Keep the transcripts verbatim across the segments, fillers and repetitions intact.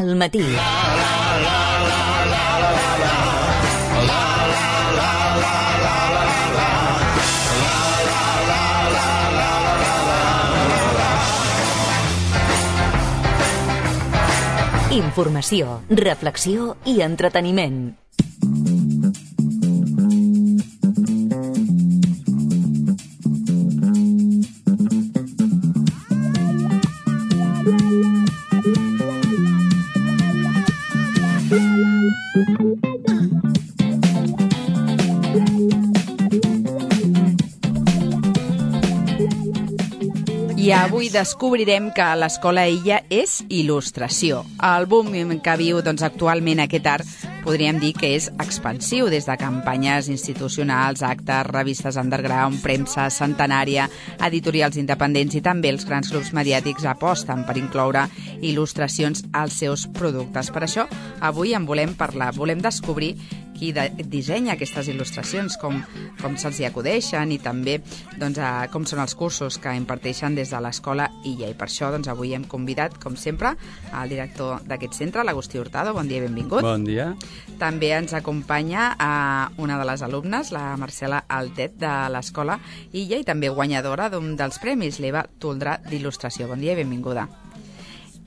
al matí. Informació, reflexió i entreteniment. I avui descobrirem que l'Escola Illa és il·lustració. El boom que viu doncs, actualment aquest art podríem dir que és expansiu, des de campanyes institucionals, actes, revistes underground, premsa centenària, editorials independents i també els grans grups mediàtics aposten per incloure il·lustracions als seus productes. Per això, avui en volem parlar, volem descobrir qui de, dissenya aquestes il·lustracions, com, com se'ls hi acudeixen i també doncs, a, com són els cursos que imparteixen des de l'Escola Illa. I per això doncs, avui hem convidat, com sempre, el director d'aquest centre, l'Agustí Hurtado. Bon dia i benvingut. Bon dia. També ens acompanya a una de les alumnes, la Marcela Altet, de l'Escola Illa, i també guanyadora d'un dels premis, l'Eva Toldrà d'il·lustració. Bon dia i benvinguda.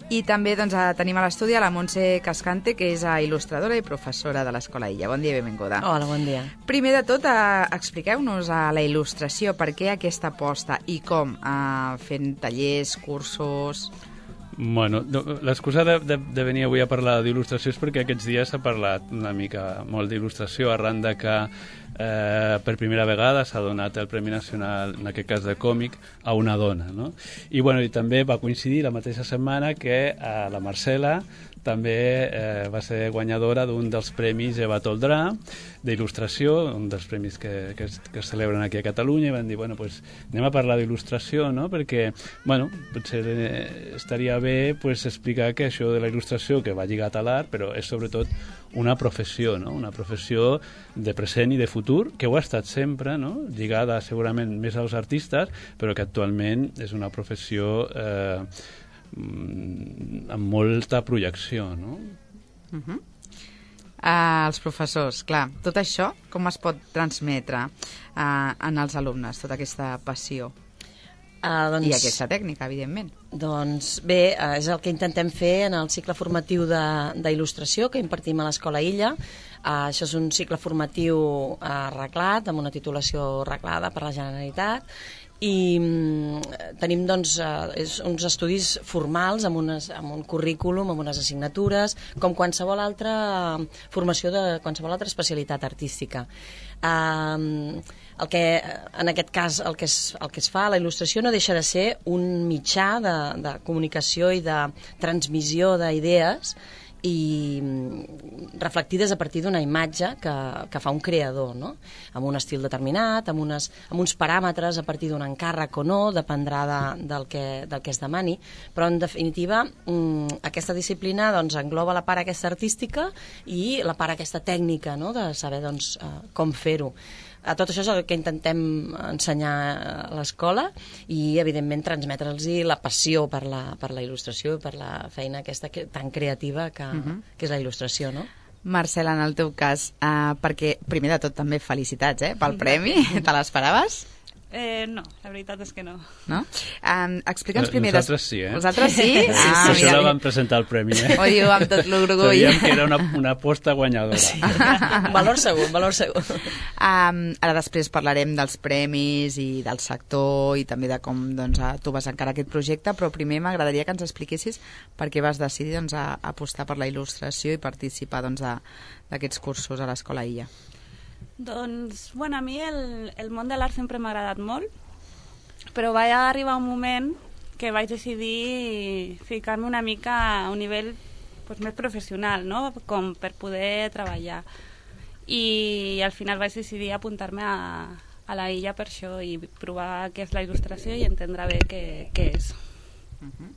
I també doncs, tenim a l'estudi a la Montse Cascante, que és il·lustradora i professora de l'Escola Illa. Bon dia i benvinguda. Hola, bon dia. Primer de tot, eh, expliqueu-nos a la il·lustració, per què aquesta aposta i com, eh, fent tallers, cursos... Bueno, l'excusa de, de, de venir avui a parlar d'il·lustració és perquè aquests dies s'ha parlat una mica molt d'il·lustració, arran de que eh, per primera vegada s'ha donat el Premi Nacional, en aquest cas de còmic, a una dona, no? I, bueno, i també va coincidir la mateixa setmana que eh, la Marcela també eh, va ser guanyadora d'un dels premis Eva Toldrà d'il·lustració, un dels premis que, que, es, que es celebren aquí a Catalunya, i van dir, bueno, pues, anem a parlar d'il·lustració, no? Perquè, bueno, potser eh, estaria bé pues, explicar que això de la il·lustració, que va lligat a l'art, però és sobretot una professió, no? Una professió de present i de futur, que ho ha estat sempre, no? Lligada segurament més als artistes, però que actualment és una professió eh, amb molta projecció, no? Uh-huh. Uh, els professors, clar, tot això com es pot transmetre uh, en els alumnes, tota aquesta passió? Uh, doncs, I aquesta tècnica, evidentment. Doncs bé, uh, és el que intentem fer en el cicle formatiu d'il·lustració que impartim a l'Escola Illa. Uh, això és un cicle formatiu uh, reglat, amb una titulació reglada per la Generalitat, i um, tenim doncs, uh, és uns estudis formals amb, unes, amb un currículum, amb unes assignatures, com qualsevol altra formació de qualsevol altra especialitat artística. Uh, el que, en aquest cas, el que, es, el que es fa a la il·lustració no deixa de ser un mitjà de, de comunicació i de transmissió d'idees i reflectides a partir d'una imatge que, que fa un creador, no? Amb un estil determinat, amb, unes, amb uns paràmetres a partir d'un encàrrec o no, dependrà de, del, que, del que es demani, però en definitiva mmm, aquesta disciplina doncs, engloba la part aquesta artística i la part aquesta tècnica, no? De saber doncs, uh, com fer-ho. A tot això és el que intentem ensenyar a l'escola i, evidentment, transmetre'ls la passió per la, per la il·lustració i per la feina aquesta que, tan creativa que, uh-huh. que és la il·lustració, no? Marcela, en el teu cas, uh, perquè, primer de tot, també felicitats eh, pel premi. Te l'esperaves? Eh, no, la veritat és que no. No? Um, Explica'ns primer... Nosaltres sí, eh? Vosaltres sí? Sí, sí, ah, per això la vam presentar el premi, eh? Ho diu amb tot l'orgull. Sabíem que era una, una aposta guanyadora. Sí. Valor segur, valor segur. Um, ara després parlarem dels premis i del sector i també de com doncs, tu vas encarar aquest projecte, però primer m'agradaria que ens expliquessis per què vas decidir doncs, a, a apostar per la il·lustració i participar doncs, d'aquests cursos a l'Escola Illa. Doncs, bueno, a mi el, el món de l'art sempre m'ha agradat molt, però va arribar un moment que vaig decidir ficar-me una mica a un nivell pues, més professional, no? Com per poder treballar. I al final vaig decidir apuntar-me a, a la Illa per això i provar què és la il·lustració i entendre bé què, què és. Uh-huh.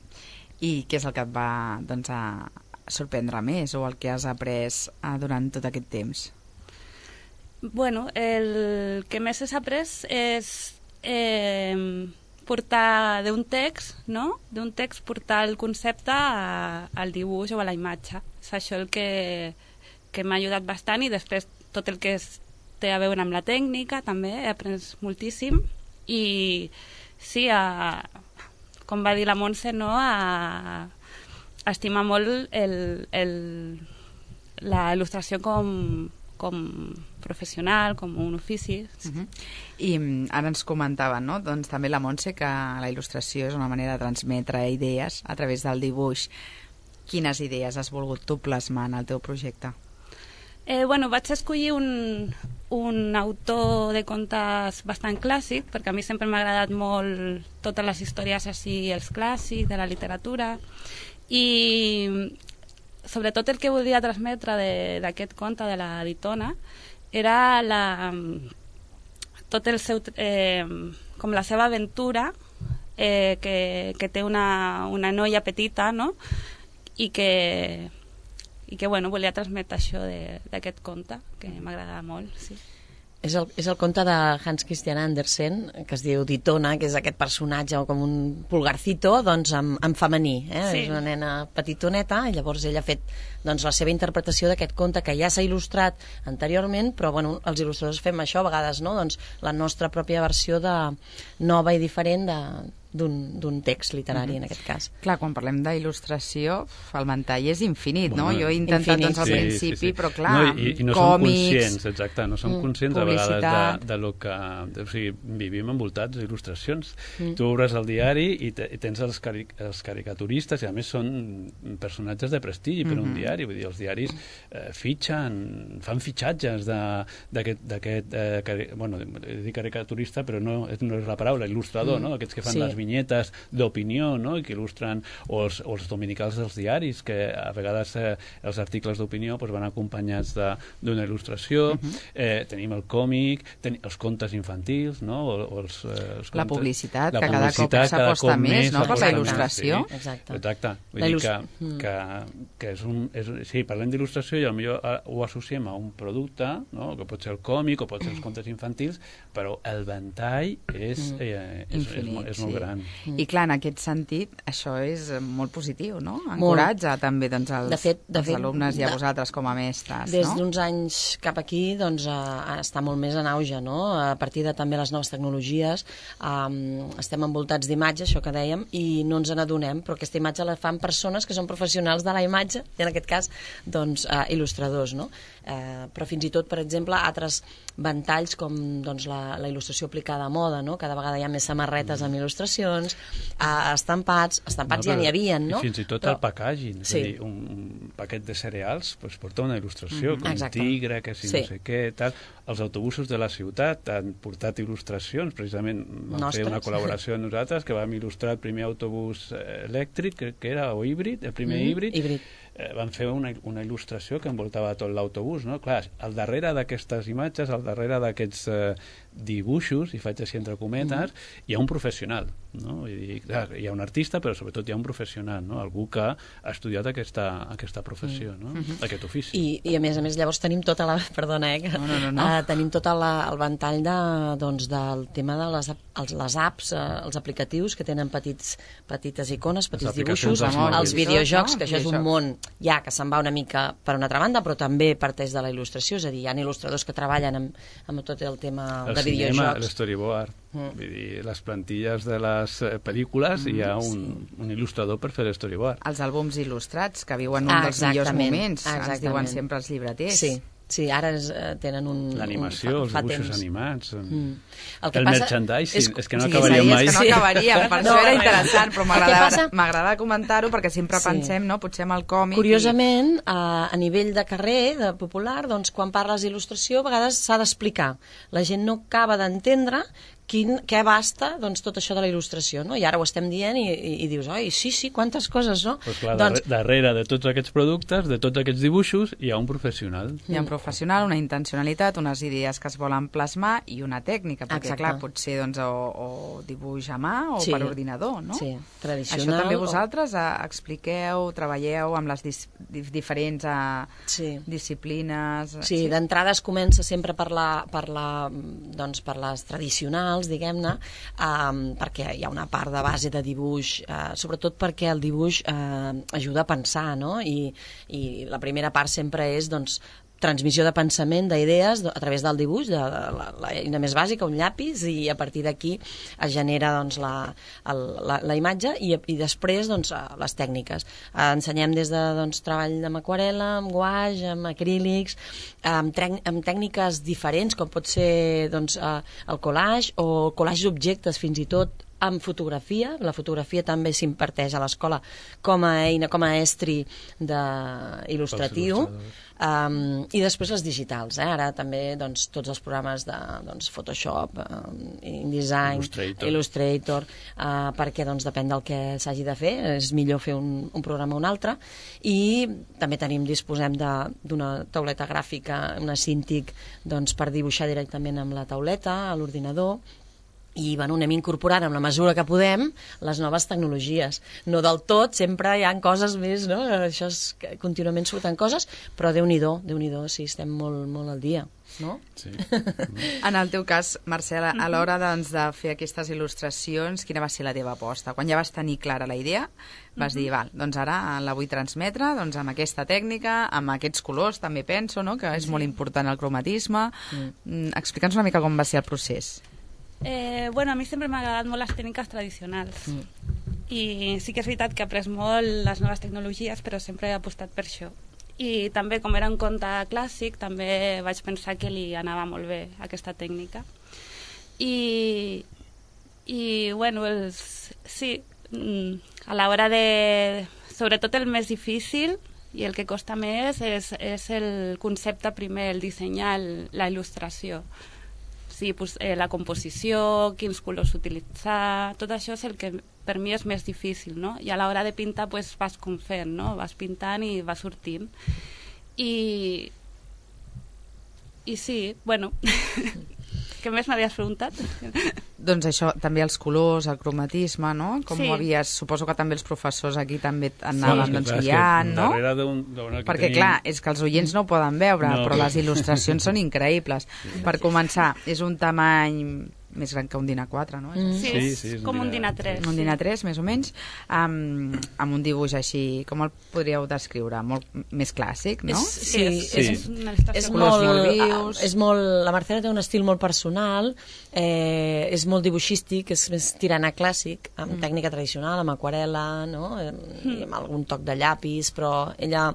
I què és el que et va doncs, a sorprendre més o el que has après uh, durant tot aquest temps? Bueno, el que més has après és eh, portar d'un text, no? D'un text portar el concepte a, al dibuix o a la imatge. És això el que, que m'ha ajudat bastant, i després tot el que és, té a veure amb la tècnica també he après moltíssim, i sí, a, com va dir la Montse, no? a, a estimar molt el, el, la il·lustració com, com professional, com un ofici. Uh -huh. I ara ens comentaven, no? Doncs també la Montse, que la il·lustració és una manera de transmetre idees a través del dibuix. Quines idees has volgut tu plasmar en el teu projecte? Eh, bueno, vaig escollir un, un autor de contes bastant clàssic, perquè a mi sempre m'ha agradat molt totes les històries així, els clàssics de la literatura, i sobretot el que volia transmetre d'aquest conte de la Ditona era la, tot el seu, eh, com la seva aventura, eh, que, que té una, una noia petita, no? i que i que bueno, volia transmetre això d'aquest conte, que m'agradava molt, sí. És el, és el conte de Hans Christian Andersen, que es diu Ditona, que és aquest personatge com un pulgarcito, doncs en, en femení, eh? Sí. És una nena petitoneta, i llavors ella ha fet doncs, la seva interpretació d'aquest conte que ja s'ha il·lustrat anteriorment, però bueno, els il·lustradors fem això a vegades, no? Doncs la nostra pròpia versió de nova i diferent de d'un text literari, mm-hmm. en aquest cas. Clar, quan parlem d'il·lustració, el ventall és infinit, bueno, no? Jo he intentat infinit. doncs al sí, principi, sí, sí. però clar, no, i, i no còmics... som conscients, exacte, no som conscients mm, a vegades de, de lo que... O sigui, vivim envoltats d'il·lustracions. Mm. Tu obres el diari i, te, i tens els, cari, els caricaturistes, i a més són personatges de prestigi per mm-hmm. un diari, vull dir, els diaris eh, fitxen, fan fitxatges d'aquest, eh, cari, bueno, dic caricaturista, però no, no és la paraula, il·lustrador, mm. no? Aquests que fan sí. les vinyetes d'opinió, no? I que il·lustren, o els, o els dominicals dels diaris, que a vegades eh, els articles d'opinió pues, van acompanyats d'una il·lustració. Uh-huh. eh, tenim el còmic, ten, els contes infantils, no? O, o els, eh, els contes, la publicitat, la que cada cop s'aposta més, no? Per la il·lustració. Sí. Exacte. Exacte. Vull dir que, que, que és un... És, sí, parlem d'il·lustració i potser ho associem a un producte, no? Que pot ser el còmic o pot ser els contes infantils, però el ventall és, eh, és, Infinit, és, és, és molt sí. gran. Mm. I clar, en aquest sentit, això és molt positiu, no? Encoratja molt. també doncs, els, de fet, de els fet, alumnes i a de, vosaltres com a mestres, des no? Des d'uns anys cap aquí, doncs, uh, està molt més en auge, no? A partir de també les noves tecnologies, um, estem envoltats d'imatge, això que dèiem, i no ens n'adonem, però aquesta imatge la fan persones que són professionals de la imatge, i en aquest cas, doncs, uh, il·lustradors, no? Uh, però fins i tot, per exemple, altres ventalls com doncs, la, la il·lustració aplicada a moda, no? Cada vegada hi ha més samarretes amb il·lustracions, uh, estampats, estampats no, ja n'hi havia, no? I fins i tot però... el packaging, és sí. a dir, un, un paquet de cereals pues, porta una il·lustració, mm-hmm. com Exacte. un tigre, que si sí. no sé què, tal. Els autobusos de la ciutat han portat il·lustracions, precisament vam Nostres. fer una col·laboració amb nosaltres, que vam il·lustrar el primer autobús elèctric, que, que era, o híbrid, el primer mm-hmm. híbrid, híbrid. Eh, van fer una, una il·lustració que envoltava tot l'autobús, no? Clar, al darrere d'aquestes imatges, al darrere d'aquests eh, dibuixos, i faig així entre cometes, mm. hi ha un professional, no? Vull dir, clar, hi ha un artista, però sobretot hi ha un professional, no? Algú que ha estudiat aquesta, aquesta professió, no? Mm-hmm. Aquest ofici. I, I a més a més llavors tenim tota la... Perdona, eh? Que, no, no, no, no. Uh, tenim tot la, el ventall de, doncs, del tema de les, els, les apps, uh, els aplicatius que tenen petits, petites icones, petits dibuixos, els videojocs, no? Que això és un món ja que se'n va una mica per una altra banda, però també parteix de la il·lustració, és a dir, hi ha il·lustradors que treballen amb, amb tot el tema el de videojocs. El cinema, l'storyboard, mm. vull dir, les plantilles de les pel·lícules, mm, hi ha un, sí. un il·lustrador per fer l'storyboard. Els àlbums il·lustrats, que viuen un ah, dels millors moments, exactament. Ens diuen sempre els llibreters. Sí. Sí, ara es, uh, tenen un... L'animació, els dibuixos temps. animats... Mm. El, el passa... merchandising, és, és que no sí, acabaríem mai. És que no acabaríem, per no, això era interessant, però m'agrada comentar-ho perquè sempre sí. pensem, no?, potser amb el còmic... Curiosament, i... a, a nivell de carrer, de popular, doncs quan parles d'il·lustració, a vegades s'ha d'explicar. La gent no acaba d'entendre quin, què abasta doncs, tot això de la il·lustració, no? I ara ho estem dient i, i, i dius, oi, sí, sí, quantes coses, no? Pues clar, doncs... darrere de tots aquests productes, de tots aquests dibuixos, hi ha un professional. Hi ha un professional, una intencionalitat, unes idees que es volen plasmar i una tècnica, perquè, Exacte. clar, pot ser doncs, o, o dibuix a mà o sí. per ordinador, no? Sí, tradicional. Això també vosaltres o... expliqueu, treballeu amb les dis, diferents uh, sí. disciplines... Sí, sí? d'entrada es comença sempre per, la, per, la, doncs, per les tradicionals, tradicionals, diguem-ne, eh, perquè hi ha una part de base de dibuix, eh, sobretot perquè el dibuix eh, ajuda a pensar, no? I, i la primera part sempre és, doncs, transmissió de pensament, d'idees, a través del dibuix, de la, la eina més bàsica, un llapis, i a partir d'aquí es genera doncs, la, el, la, la imatge i, i després doncs, les tècniques. Eh, ensenyem des de doncs, treball amb aquarel·la, amb guaix, amb acrílics, amb, amb tècniques diferents, com pot ser doncs, el collage o collage d'objectes, fins i tot amb fotografia. La fotografia també s'imparteix a l'escola com a eina, com a estri il·lustratiu. Um, I després les digitals, eh? Ara també doncs, tots els programes de doncs, Photoshop, um, InDesign, Illustrator, Illustrator uh, perquè doncs, depèn del que s'hagi de fer, és millor fer un, un programa o un altre. I també tenim, disposem d'una tauleta gràfica, una Cintiq, doncs, per dibuixar directament amb la tauleta, a l'ordinador. I bueno, anem incorporant amb la mesura que podem les noves tecnologies. No del tot, sempre hi ha coses més, no? Això és, contínuament surten coses, però Déu-n'hi-do, Déu-n'hi-do, sí, estem molt, molt al dia, no? Sí. En el teu cas, Marcela, a l'hora doncs, de fer aquestes il·lustracions, quina va ser la teva aposta? Quan ja vas tenir clara la idea, vas dir, val, doncs ara la vull transmetre doncs, amb aquesta tècnica, amb aquests colors, també penso, no? Que és molt important el cromatisme. Mm. Explica'ns una mica com va ser el procés. Eh, bueno, a mi sempre m'ha agradat molt les tècniques tradicionals mm. i sí que és veritat que he après molt les noves tecnologies, però sempre he apostat per això. I també, com era un conte clàssic, també vaig pensar que li anava molt bé aquesta tècnica. I, i bueno, els, sí, a l'hora de... Sobretot el més difícil i el que costa més és, és el concepte primer, el dissenyar, el, la il·lustració. Sí, pues, eh, la composició, quins colors utilitzar, tot això és el que per mi és més difícil, no? I a l'hora de pintar pues, vas com fent, no? Vas pintant i vas sortint. I, i sí, bueno, què més m'havies preguntat? Doncs això, també els colors, el cromatisme, no? Com sí. ho havies... Suposo que també els professors aquí també anaven sí, doncs, clar, guiant, no? Perquè, tenim... clar, és que els oients no ho poden veure, no, però les il·lustracions són increïbles. Sí. Per començar, és un tamany més gran que un dinar quatre, no? Mm. Sí, sí, sí, com un dinar tres. Un dinar tres, més o menys, amb, amb un dibuix així, com el podríeu descriure? Molt més clàssic, no? És, sí, sí, és, és, una és molt, molt vius. És molt, la Marcela té un estil molt personal, eh, és molt dibuixístic, és més tirant a clàssic, amb mm. tècnica tradicional, amb aquarel·la, no? Mm. amb algun toc de llapis, però ella,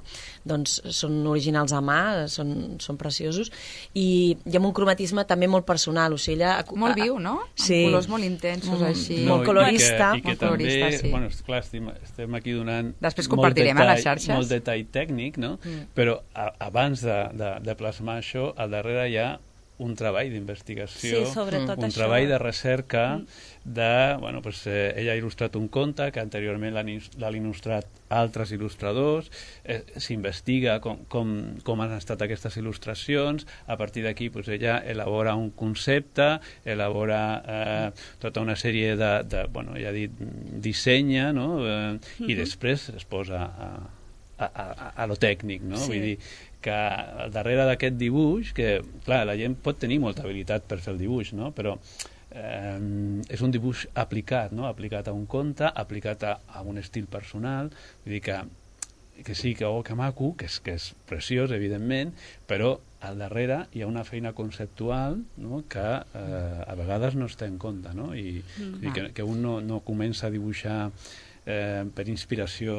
doncs, són originals a mà, són, són preciosos, i, i amb un cromatisme també molt personal, o sigui, ella... Molt viu, no? Sí. Amb colors molt intensos, mm. així. No, molt colorista. I que, i que molt colorista, també, sí. bueno, esclar, estem, estem aquí donant Després compartirem detall, a les xarxes. molt detall tècnic, no? Mm. Però a, abans de, de, de plasmar això, al darrere hi ha un treball d'investigació, sí, sobretot un això. treball de recerca mm. de, bueno, pues, eh, ella ha il·lustrat un conte que anteriorment l'han il·lustrat altres il·lustradors, eh, s'investiga com, com, com han estat aquestes il·lustracions, a partir d'aquí pues, ella elabora un concepte, elabora eh, tota una sèrie de, de bueno, ja dit, dissenya, no? eh, mm-hmm. i després es posa a, a, a, a lo tècnic, no? Sí. Vull dir, que al darrere d'aquest dibuix, que clar, la gent pot tenir molta habilitat per fer el dibuix, no? Però eh, és un dibuix aplicat, no? Aplicat a un conte, aplicat a, a un estil personal, vull dir que, que sí, que oh, que maco, que és, que és preciós, evidentment, però al darrere hi ha una feina conceptual, no? Que eh, a vegades no es té en compte, no? I, mm. i que, que un no, no comença a dibuixar eh, per inspiració.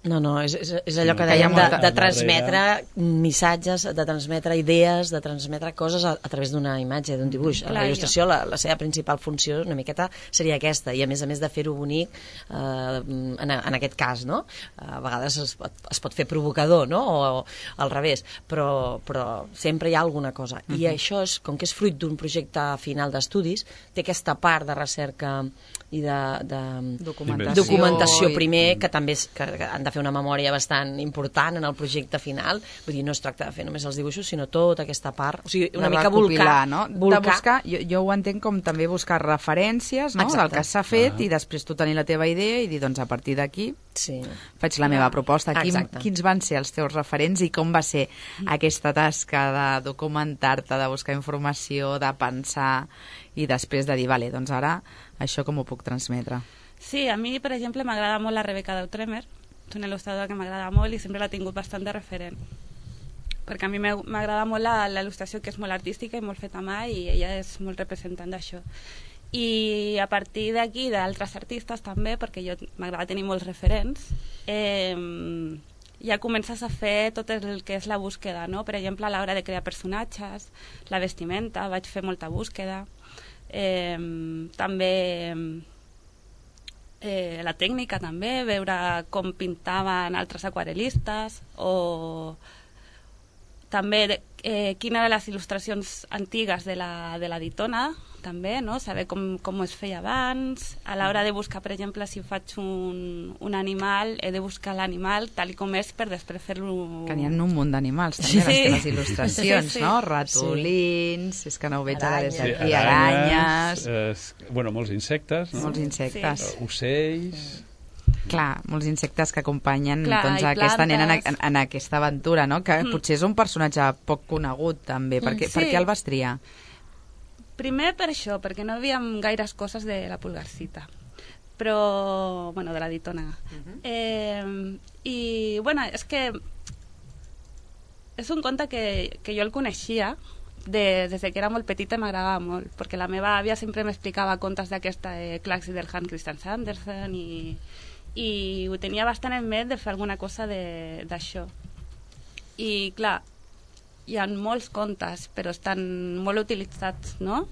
No, no, és, és, és allò que dèiem de, de transmetre missatges, de transmetre idees, de transmetre coses a, a través d'una imatge, d'un dibuix. La il·lustració, la, la seva principal funció una miqueta seria aquesta, i a més a més de fer-ho bonic eh, en, en aquest cas, no? A vegades es pot, es pot fer provocador, no? O, o al revés, però, però sempre hi ha alguna cosa. I uh-huh. això, és, com que és fruit d'un projecte final d'estudis, té aquesta part de recerca i de, de documentació, documentació primer, que també és, que han de de fer una memòria bastant important en el projecte final. Vull dir, no es tracta de fer només els dibuixos, sinó tota aquesta part. O sigui, una de mica volcar. No? volcar. De buscar, jo, jo ho entenc com també buscar referències, no? Del que s'ha fet ah. i després tu tenir la teva idea i dir, doncs a partir d'aquí sí. faig la meva proposta. Quin, quins van ser els teus referents i com va ser aquesta tasca de documentar-te, de buscar informació, de pensar i després de dir, vale, doncs ara això com ho puc transmetre? Sí, a mi, per exemple, m'agrada molt la Rebecca Deutremer, és una il·lustradora que m'agrada molt i sempre l'ha tingut bastant de referent. Perquè a mi m'agrada molt la, la il·lustració, que és molt artística i molt feta a mà, i ella és molt representant d'això. I a partir d'aquí, d'altres artistes també, perquè jo m'agrada tenir molts referents, eh, ja comences a fer tot el que és la búsqueda, no? Per exemple, a l'hora de crear personatges, la vestimenta, vaig fer molta búsqueda, eh, també... Eh, la tècnica també, veure com pintaven altres aquarel·listes o també eh, quines eren les il·lustracions antigues de la, de la Ditona també, no? Saber com, com es feia abans. A l'hora de buscar, per exemple, si faig un, un animal, he de buscar l'animal tal com és per després fer-lo... Que n'hi ha un munt d'animals, també, sí. Les teves il·lustracions, sí, sí. No? Ratolins, sí. És que no ho veig ara des d'aquí, sí, aranyes... aranyes eh, bueno, molts insectes, no? Molts insectes. Sí. Ocells... Clar, molts insectes que acompanyen Clar, doncs, aquesta nena en, en, en aquesta aventura, no? Que mm. potser és un personatge poc conegut, també. Per què, sí. per què el vas triar? Primer per això, perquè no havíem gaires coses de la Pulgarcita, però, bueno, de la Ditona. Uh-huh. eh, I, bueno, és que és un conte que, que jo el coneixia de, des que era molt petita i m'agradava molt, perquè la meva àvia sempre m'explicava contes d'aquesta eh, Claxi del Hans Christian Andersen i, i ho tenia bastant en ment de fer alguna cosa d'això. I, clar, hi ha molts contes, però estan molt utilitzats, no?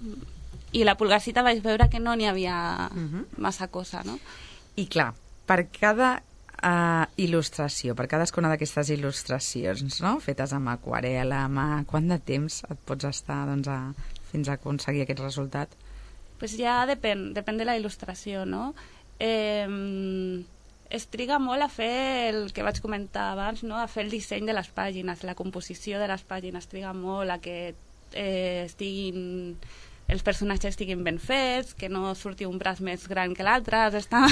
I la Pulgarcita vaig veure que no n'hi havia uh-huh. massa cosa, no? I clar, per cada uh, il·lustració, per cadascuna d'aquestes il·lustracions, no? Fetes amb aquarel·la, amb... Quant de temps et pots estar doncs, a, fins a aconseguir aquest resultat? Pues ja depèn, depèn de la il·lustració, no? Eh, es triga molt a fer el que vaig comentar abans, no? A fer el disseny de les pàgines, la composició de les pàgines, triga molt a que eh, estiguin, els personatges estiguin ben fets, que no surti un braç més gran que l'altre, està...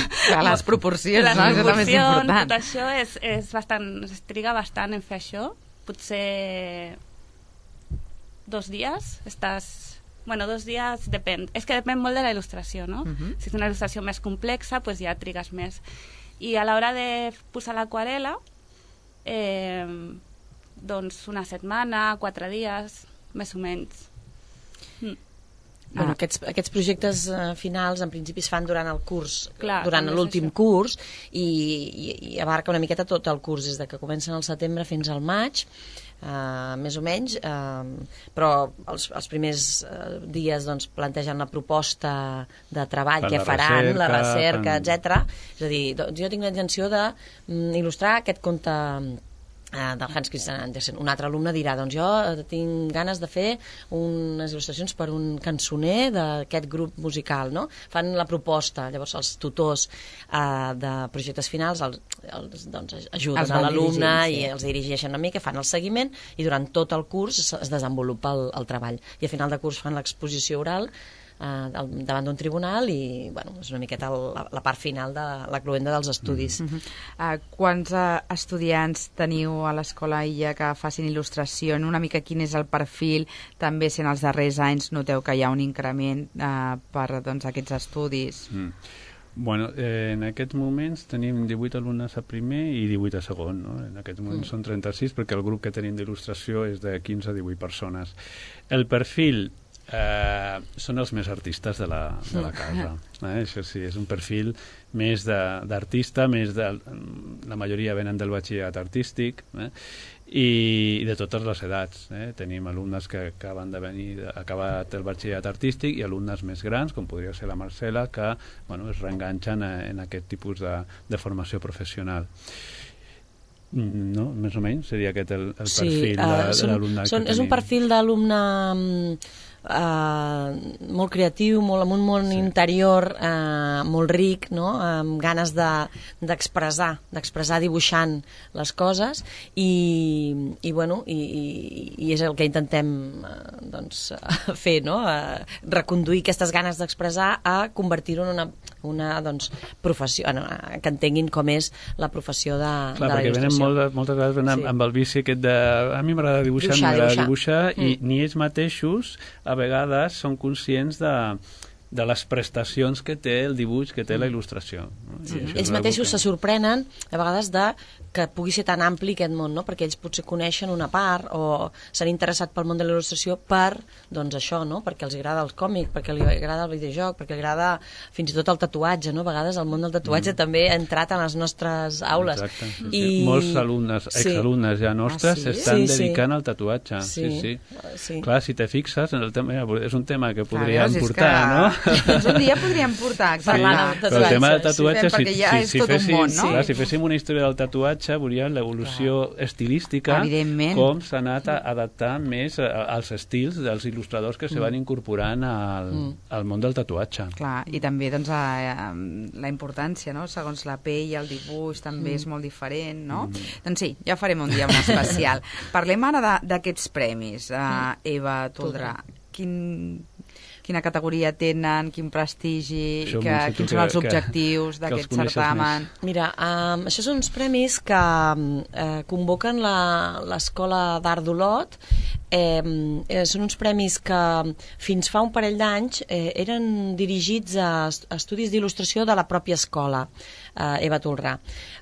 Les proporcions, les no? Proporcions, és el més important. Tot això és, és bastant, es triga bastant en fer això, potser dos dies, estàs... Bueno, dos dies depèn. És que depèn molt de la il·lustració, no? Uh-huh. Si és una il·lustració més complexa, pues ja trigues més. I a l'hora de posar l'aquarel·la, eh, doncs una setmana, quatre dies, més o menys. Mm. Bueno, aquests, aquests projectes uh, finals en principi es fan durant el curs, Clar, durant l'últim curs i, i, i abarca una miqueta tot el curs, des de que comencen al setembre fins al maig, uh, més o menys, uh, però els, els primers uh, dies doncs, plantegen la proposta de treball que faran, recerca, la recerca, fan... etcètera. És a dir, doncs, jo tinc la intenció de mm, il·lustrar aquest conte del Hans Christian Andersen. Un altre alumne dirà, doncs jo tinc ganes de fer unes il·lustracions per un cançoner d'aquest grup musical, no? Fan la proposta, llavors els tutors eh, de projectes finals els, els, doncs, ajuden els a l'alumne sí. i els dirigeixen una mica, fan el seguiment i durant tot el curs es, es desenvolupa el, el treball. I a final de curs fan l'exposició oral Uh, davant d'un tribunal i bueno, és una miqueta el, la, la part final de la cloenda dels estudis. Mm-hmm. uh, Quants uh, estudiants teniu a l'Escola Illa que facin il·lustració? Una mica quin és el perfil? També si en els darrers anys noteu que hi ha un increment uh, per doncs, aquests estudis? Mm. Bueno, eh, en aquests moments tenim divuit alumnes a primer i divuit a segon, no? En aquests moments mm. són trenta-sis perquè el grup que tenim d'il·lustració és de quinze a divuit persones. El perfil Eh, són els més artistes de la, de la casa, eh? Això sí, és un perfil més d'artista, més de, la majoria venen del batxillerat artístic, eh? I de totes les edats, eh? Tenim alumnes que acaben de venir, acabat el batxillerat artístic i alumnes més grans, com podria ser la Marcela, que bueno, es reenganxen en aquest tipus de, de formació professional. No? Més o menys seria aquest el, el perfil sí, uh, de, de l'alumne que tenim. És un perfil d'alumne eh, molt creatiu, molt, amb un món sí. interior eh, molt ric, no? Amb ganes d'expressar, de, d'expressar dibuixant les coses i, i, bueno, i, i, i és el que intentem eh, doncs, fer, no? Eh, reconduir aquestes ganes d'expressar a convertir-ho en una, una doncs, professió, no? Que entenguin com és la professió de, Clar, de la il·lustració. Perquè venen molt, moltes vegades venen sí. amb el vici aquest de a mi m'agrada dibuixar, dibuixar, m'agrada dibuixar, dibuixar mm. i ni ells mateixos a vegades són conscients de, de les prestacions que té el dibuix, que té la il·lustració. No? Sí. Ells mateixos que... se sorprenen a vegades de que pugui ser tan ampli aquest món, no? Perquè ells potser coneixen una part o s'han interessat pel món de la il·lustració per, doncs això, no? Perquè els agrada el còmic, perquè els agrada el videojoc, perquè els agrada fins i tot el tatuatge, no? A vegades el món del tatuatge mm. també ha entrat en les nostres aules. Exacte. Sí, I... sí. Molts alumnes, sí. exalumnes ja nostres s'estan ah, sí? sí, dedicant sí. al tatuatge. Sí. Sí, sí. sí. Clar, si te fixes, en el tema, és un tema que podríem Clar, portar, que... no? Doncs un dia podríem portar, exacte. Sí, però el tema del tatuatge, sí, si, ja si, si, féssim, món, no? clar, si féssim una història del tatuatge, veuríem l'evolució estilística, com s'ha anat adaptant més als estils dels il·lustradors que mm. se van incorporant al, mm. al món del tatuatge. Clar, i també doncs, a, a, la importància, no? Segons la pell, el dibuix també mm. és molt diferent, no? Mm. Doncs sí, ja farem un dia un especial. Parlem ara d'aquests premis, uh, Eva Toldrà. Quin... quina categoria tenen, quin prestigi, que, quins són els objectius d'aquest certamen. Mira, um, això són uns premis que uh, convoquen l'Escola d'Art d'Olot. Eh, eh, són uns premis que fins fa un parell d'anys eh, eren dirigits a, a estudis d'il·lustració de la pròpia escola, eh, Eva Toldrà.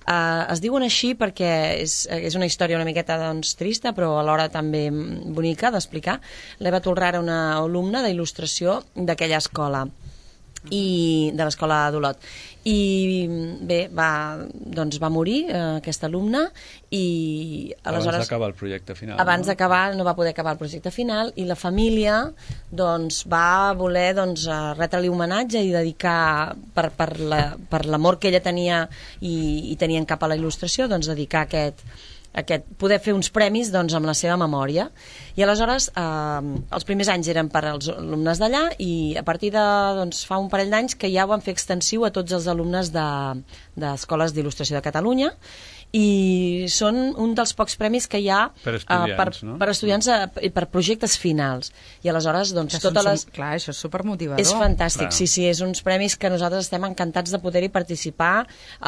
Eh, es diuen així perquè és, és una història una miqueta doncs, trista, però alhora també bonica d'explicar. L'Eva Toldrà era una alumna d'il·lustració d'aquella escola, i de l'escola d'Olot, i bé, va, doncs va morir eh, aquesta alumna i aleshores... Abans d'acabar el projecte final. Abans no? d'acabar, no va poder acabar el projecte final i la família doncs va voler doncs, retre-li homenatge i dedicar, per, per l'amor la, que ella tenia i, i tenien cap a la il·lustració, doncs dedicar aquest aquest, poder fer uns premis doncs, amb la seva memòria. I aleshores, eh, els primers anys eren per als alumnes d'allà i a partir de doncs, fa un parell d'anys que ja ho van fer extensiu a tots els alumnes d'escoles de, d'il·lustració de Catalunya i són un dels pocs premis que hi ha per estudiants, uh, per, no? per estudiants i uh, per projectes finals. I aleshores, doncs, totes les... Clar, això és supermotivador. És fantàstic, clar. sí, sí, és uns premis que nosaltres estem encantats de poder-hi participar.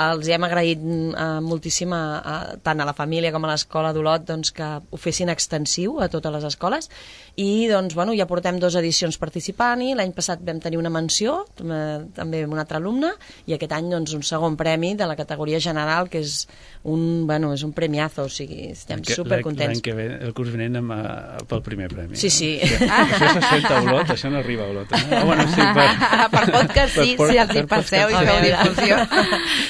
Els hem agraït uh, moltíssim a, a, tant a la família com a l'escola d'Olot doncs, que ho fessin extensiu a totes les escoles i doncs, bueno, ja portem dues edicions participant-hi. L'any passat vam tenir una menció, també amb un altre alumne, i aquest any doncs, un segon premi de la categoria general, que és un, bueno, és un premiazo, o sigui, estem supercontents. L'any que ve, el curs vinent amb, uh, pel primer premi. Sí, sí. No? Això se sent a Olot, això no arriba a Olot. Eh? Ah, bueno, sí, per, per podcast sí, per, si els hi passeu i feu difusió.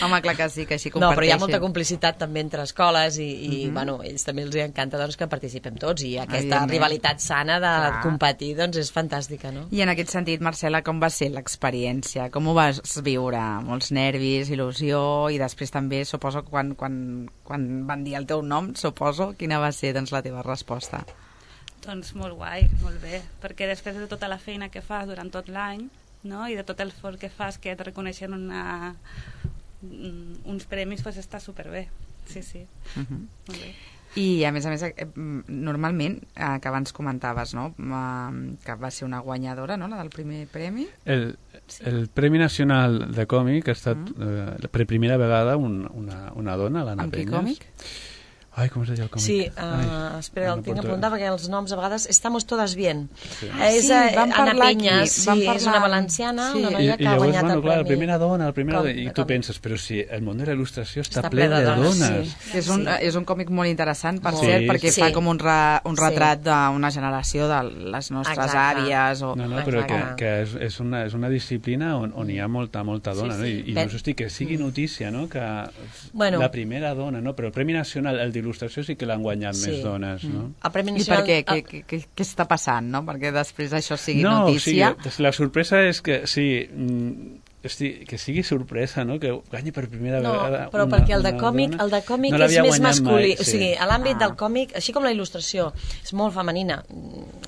Home, clar que sí, que així comparteixen. No, però hi ha molta complicitat també entre escoles i, i uh -huh. bueno, ells també els encanta doncs, que participem tots i aquesta rivalitat sana de clar. competir doncs, és fantàstica, no? I en aquest sentit, Marcela, com va ser l'experiència? Com ho vas viure? Molts nervis, il·lusió i després també, suposo, quan, quan, quan van dir el teu nom, suposo, quina va ser doncs, la teva resposta? Doncs molt guai, molt bé, perquè després de tota la feina que fas durant tot l'any, no? I de tot el esforç que fas, que et reconeixen una, uns premis, doncs està superbé. Sí, sí, uh -huh. molt bé. I, a més a més, normalment, eh, que abans comentaves, no?, que va ser una guanyadora, no?, la del primer premi. El, el Premi Nacional de Còmic ha estat, uh-huh. eh, per primera vegada, un, una, una dona, l'Anna Penyes. Amb quin còmic? Ai, com es deia el còmic? Sí, uh, Ai, espera, el no tinc apuntat perquè els noms a vegades... Estamos todas bien. Sí. Ah, és sí, vam Anna Penyes, sí, parlar... és una valenciana, sí. una noia I, que i ha llavors, guanyat bueno, el clar, premi. la primera dona, la primera com, dona, i tu com? penses, però si el món de la il·lustració està, està ple de dones. dones. Sí. És, un, sí. és un còmic molt interessant, per sí, cert, perquè sí. fa com un, re, un retrat sí. d'una generació de les nostres Exacte. àvies. O... No, no, però que, que és, és, una, és una disciplina on, on hi ha molta, molta dona, sí, sí. no? I, i ben... no hosti, que sigui notícia, no?, que bueno. la primera dona, no? Però el Premi Nacional, el d'il·lustració, sí que l'han guanyat sí. més dones. No? El Premi Nacional... I per què? Què, què, què, què està passant, no? Perquè després això sigui no, notícia. No, o sigui, la sorpresa és que, sí, hosti, que sigui sorpresa, no?, que guanyi per primera no, vegada però una, perquè el de còmic, dona, el de còmic no és més masculí. Mai, sí. O sigui, a l'àmbit ah. del còmic, així com la il·lustració, és molt femenina.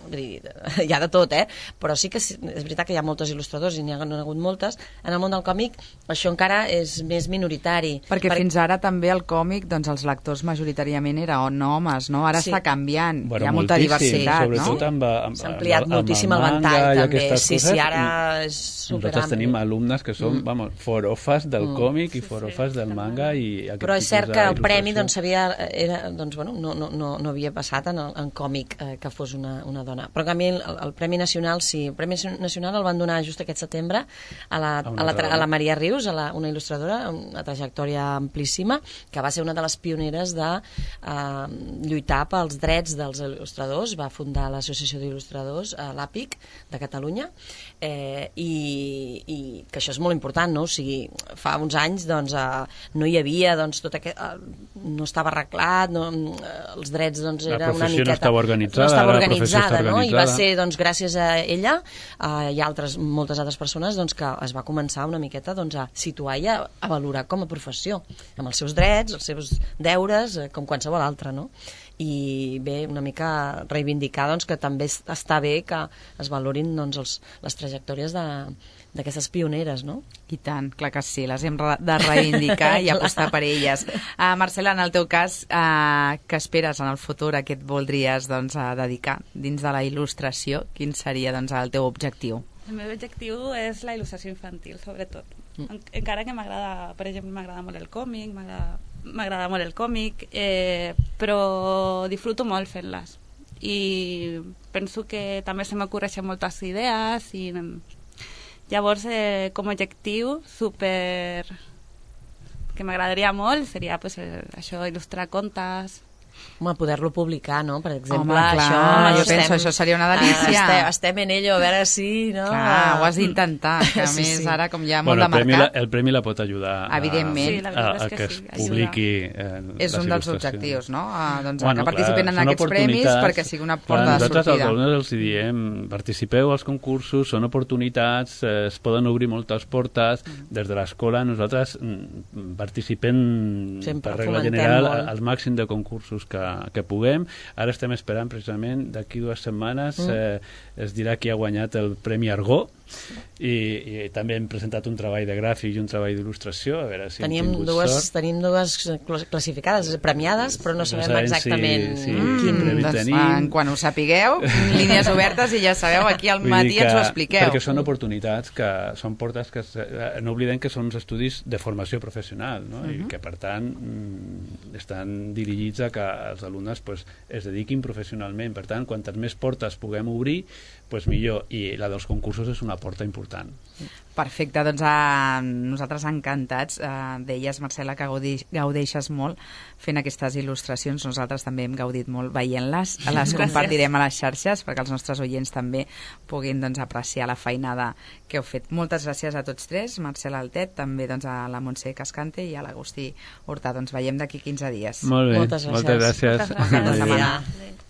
vull dir, hi ha de tot, eh? Però sí que és veritat que hi ha moltes il·lustradors i n'hi ha, ha hagut moltes. En el món del còmic això encara és més minoritari. Perquè per... fins ara també el còmic, doncs els lectors majoritàriament eren homes, no? Ara sí. està canviant, bueno, hi ha molta diversitat, sobretot no? Amb, amb, s'ha ampliat amb, moltíssim el ventall, també. Sí, coses, sí, ara és superampli. Nosaltres tenim alumnes que són, mm. vamos, forofes del mm. còmic i forofes sí, sí, del manga i aquest però és cert que el premi doncs, havia, era, doncs, bueno, no, no, no, no havia passat en, el, en còmic eh, que fos una, una dona. Però en canvi el, el Premi Nacional sí. El Premi Nacional el van donar just aquest setembre a la, a la, a la Maria Rius, a la, una il·lustradora, una trajectòria amplíssima, que va ser una de les pioneres de eh, lluitar pels drets dels il·lustradors. Va fundar l'Associació d'Il·lustradors, eh, l'APIC, de Catalunya, eh, i, i que això és molt important, no? O sigui, fa uns anys doncs, eh, no hi havia doncs, tot aquest, eh, no estava arreglat, no, eh, els drets doncs, era una miqueta... no estava organitzada, no estava organitzada, organitzada no? I va ser doncs, gràcies a ella eh, i altres, moltes altres persones doncs, que es va començar una miqueta doncs, a situar i a, a valorar com a professió, amb els seus drets, els seus deures, eh, com qualsevol altre, no? I bé, una mica reivindicar doncs, que també està bé que es valorin doncs, els, les trajectòries de d'aquestes pioneres, no? I tant, clar que sí, les hem de reivindicar i apostar per elles. Uh, Marcela, en el teu cas, uh, què esperes en el futur? A què et voldries doncs, a dedicar dins de la il·lustració? Quin seria doncs, el teu objectiu? El meu objectiu és la il·lustració infantil, sobretot. Mm. Encara que m'agrada, per exemple, m'agrada molt el còmic, m'agrada molt el còmic, eh, però disfruto molt fent-les. I penso que també se m'ocorreixen moltes idees i... Llavors, eh, com a objectiu super que m'agradaria molt seria pues, eh, això, il·lustrar contes. Home, poder-lo publicar, no? Per exemple, home, clar, això... jo estem, penso, això seria una delícia. Estem, estem en ello, a veure si... No? Clar, ho has d'intentar, que a sí, més sí. ara, com hi ha molt bueno, de mercat... La, el premi la pot ajudar a, evidentment. Sí, a, a que, que es sí, publiqui eh, és un dels objectius, no? A, doncs, bueno, que participin en aquests premis perquè sigui una porta clar, de sortida. Nosaltres als alumnes els diem, participeu als concursos, són oportunitats, eh, es poden obrir moltes portes, mm. des de l'escola nosaltres mm, participem sempre per regla general molt. al màxim de concursos que, que puguem. Ara estem esperant precisament d'aquí dues setmanes mm. eh, es dirà qui ha guanyat el Premi Argó i, i també hem presentat un treball de gràfic i un treball d'il·lustració, a veure si tenim hem tingut dues, sort. Tenim dues classificades, premiades, però no sabem, no sabem exactament si, si mm, quin... Doncs, en, quan ho sapigueu, línies obertes i ja sabeu, aquí al matí ens ho expliqueu. Perquè són oportunitats que són portes que no oblidem que són uns estudis de formació professional, no? Uh-huh. I que per tant estan dirigits a que els alumnes pues, es dediquin professionalment, per tant quantes més portes puguem obrir pues millor, i la dels concursos és una porta important. Perfecte, doncs a nosaltres encantats. Uh, deies, Marcela, que gaudeix, gaudeixes molt fent aquestes il·lustracions. Nosaltres també hem gaudit molt veient-les. Les compartirem a les xarxes perquè els nostres oients també puguin doncs, apreciar la feinada que heu fet. Moltes gràcies a tots tres, Marcela Altet, també doncs, a la Montse Cascante i a l'Agustí Hurtà. Doncs veiem d'aquí quinze dies. Molt bé, moltes gràcies. moltes gràcies. Moltes gràcies. Moltes gràcies.